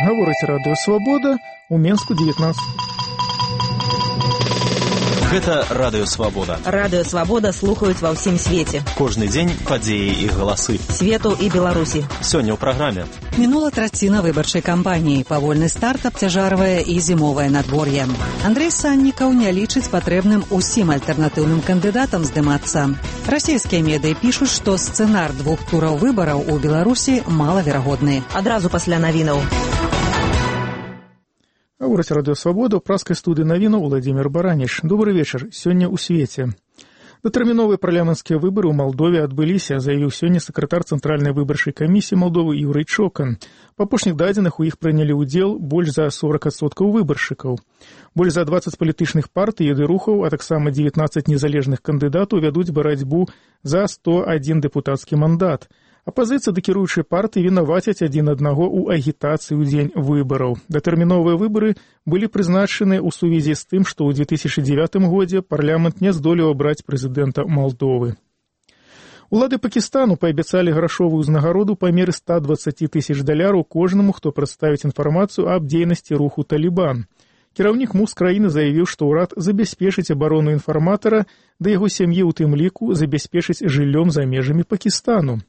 Гаворыць радыё Свабода, у Менску 19. Гэта радыё Свабода. Радыё Свабода слухаюць ва ўсім свеце. Кожны дзень падзеі і галасы. Свету і Беларусі. Сёння ў праграме. Мінула траціна выбарчай кампаніі. Павольны старт абцяжарвае і зімовае надвор'е. Андрэй Саннікаў не лічыць патрэбным усім альтэрнатыўным кандыдатам здымацца. Расійскія медыі пішуць, што сцэнар двух тураў выбараў у Беларусі малаверагодны. Адразу пасля навінаў. Гаворыць радыё Свабода, ў праскай студыі навінаў Владзімір Бараніч. Добры вечар. Сёння ў свеце. Датэрміновыя парламенцкія выбары ў Малдове адбыліся, заявіў сёння сакратар Цэнтральнай выбарчай камісіі Малдовы Юрый Чокан. Па апошніх дадзеных у іх прынялі ўдзел больш за 40% выбаршчыкаў. Больш за 20 палітычных партый і рухаў, а таксама 19 незалежных кандыдатаў вядуць барацьбу за 101 дэпутацкі мандат. Апазіцыя ды кіруючыя партыі вінавацяць адзін аднаго ў агітацыі ў дзень выбараў. Датэрміновыя выбары былі прызначаны ў сувязі з тым, што ў 2009 годзе парламент не здолеў абраць прэзідэнта Малдовы. Улады Пакістану паабяцалі грашовую ўзнагароду па меры $120,000 кожнаму, хто прадставіць інфармацыю аб дзейнасці руху Талібан. Кіраўнік МУЗ краіны заявіў, што ўрад забяспечыць абарону інфарматара, да яго сям'і ў тым ліку забяспечыць жыллём за межамі Пакістану.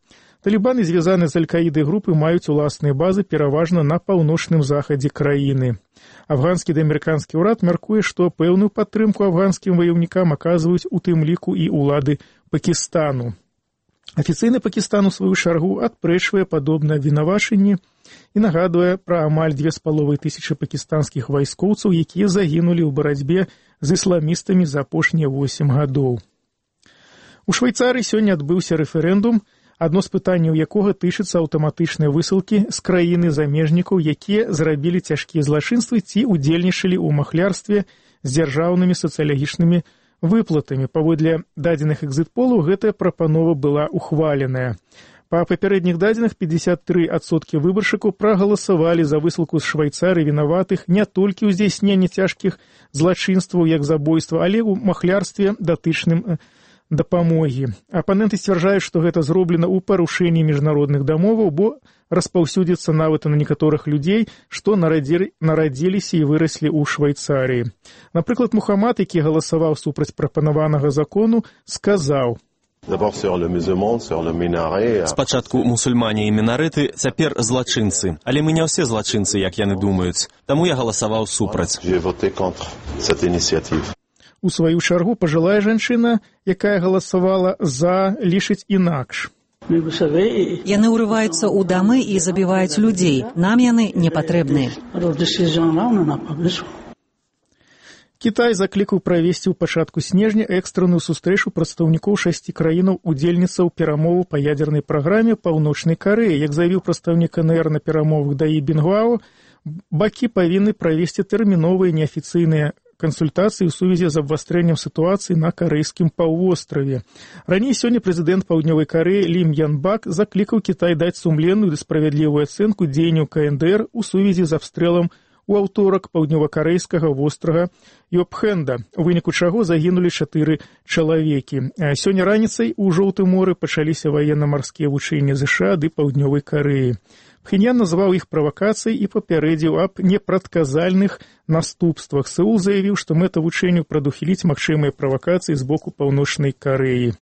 Талібаны, звязаны з Аль-Каідай групы, маюць уласныя базы пераважна на паўночным захадзе краіны. Афганскі ды амерыканскі ўрад мяркуе, што пэўную падтрымку афганскім ваяўнікам аказваюць у тым ліку і ўлады Пакістану. Афіцыйны Пакістан у сваю чаргу адпрэчвае падобнае вінавачанне і нагадвае пра амаль 2500 пакістанскіх вайскоўцаў, якія загінулі ў барацьбе з ісламістамі за апошнія 8 гадоў. У Швейцарыі сёння адбыўся рэферэндум, адно з пытанняў якога тычыцца аўтаматычнай высылкі з краіны замежнікаў, якія зрабілі цяжкія злачынствы ці ўдзельнічалі ў махлярстве з дзяржаўнымі сацыялагічнымі выплатамі. Паводле дадзеных экзіт-полаў гэтая прапанова была ухваленая. Па папярэдніх дадзеных 53% выбаршчыкаў прагаласавалі за высылку з Швейцарыі вінаватых не толькі ў здзяйсненні цяжкіх злачынстваў, як забойства, але ў махлярстве датычным дапамогі. Апаненты сцвярджаюць, што гэта зроблена ў парушэнні міжнародных дамоваў, бо распаўсюдзіцца нават на некаторых людзей, што нарадзіліся і выраслі ў Швейцарыі. Напрыклад, Мухаммад, які галасаваў супраць прапанаванага закону, сказаў: спачатку мусульмане і мінарэты, цяпер злачынцы. Але мы не ўсе злачынцы, як яны думаюць. Таму я галасаваў супраць. У сваю чаргу пажылая жанчына, якая галасавала за, лічыць інакш. Яны ўрываюцца ў дамы і забіваюць людзей. Нам яны не патрэбны. Кітай заклікаў правесці ў пачатку снежня экстранную сустрэчу прадстаўнікоў 6 краінаў удзельніцаў перамоваў па ядзернай праграме Паўночнай Карэі. Як заявіў прадстаўнік КНР на перамовах Даі Бінгуао, бакі павінны правесці тэрміновыя неафіцыйныя кансультацыі ў сувязі з абвастрэннем сітуацыі на карэйскім паўвостраве. Раней сёння прэзідэнт Паўднёвай Карэі Лім Ян Бак заклікаў Кітай даць сумленную ды справядлівую ацэнку дзеянняў КНДР у сувязі з абстрэлам у аўторак паўднёвакарэйскага вострава Йопхенда, у выніку чаго загінулі 4 чалавекі. Сёння раніцай у Жоўтым моры пачаліся ваенна-марскія вучэнні ЗША ды Паўднёвай Карэі. Пхеньян назваў іх правакацыяй і папярэдзіў аб непрадказальных наступствах. Сеул заявіў, што мэта вучэнняў прадухіліць магчымыя правакацыі з боку Паўночнай Карэі.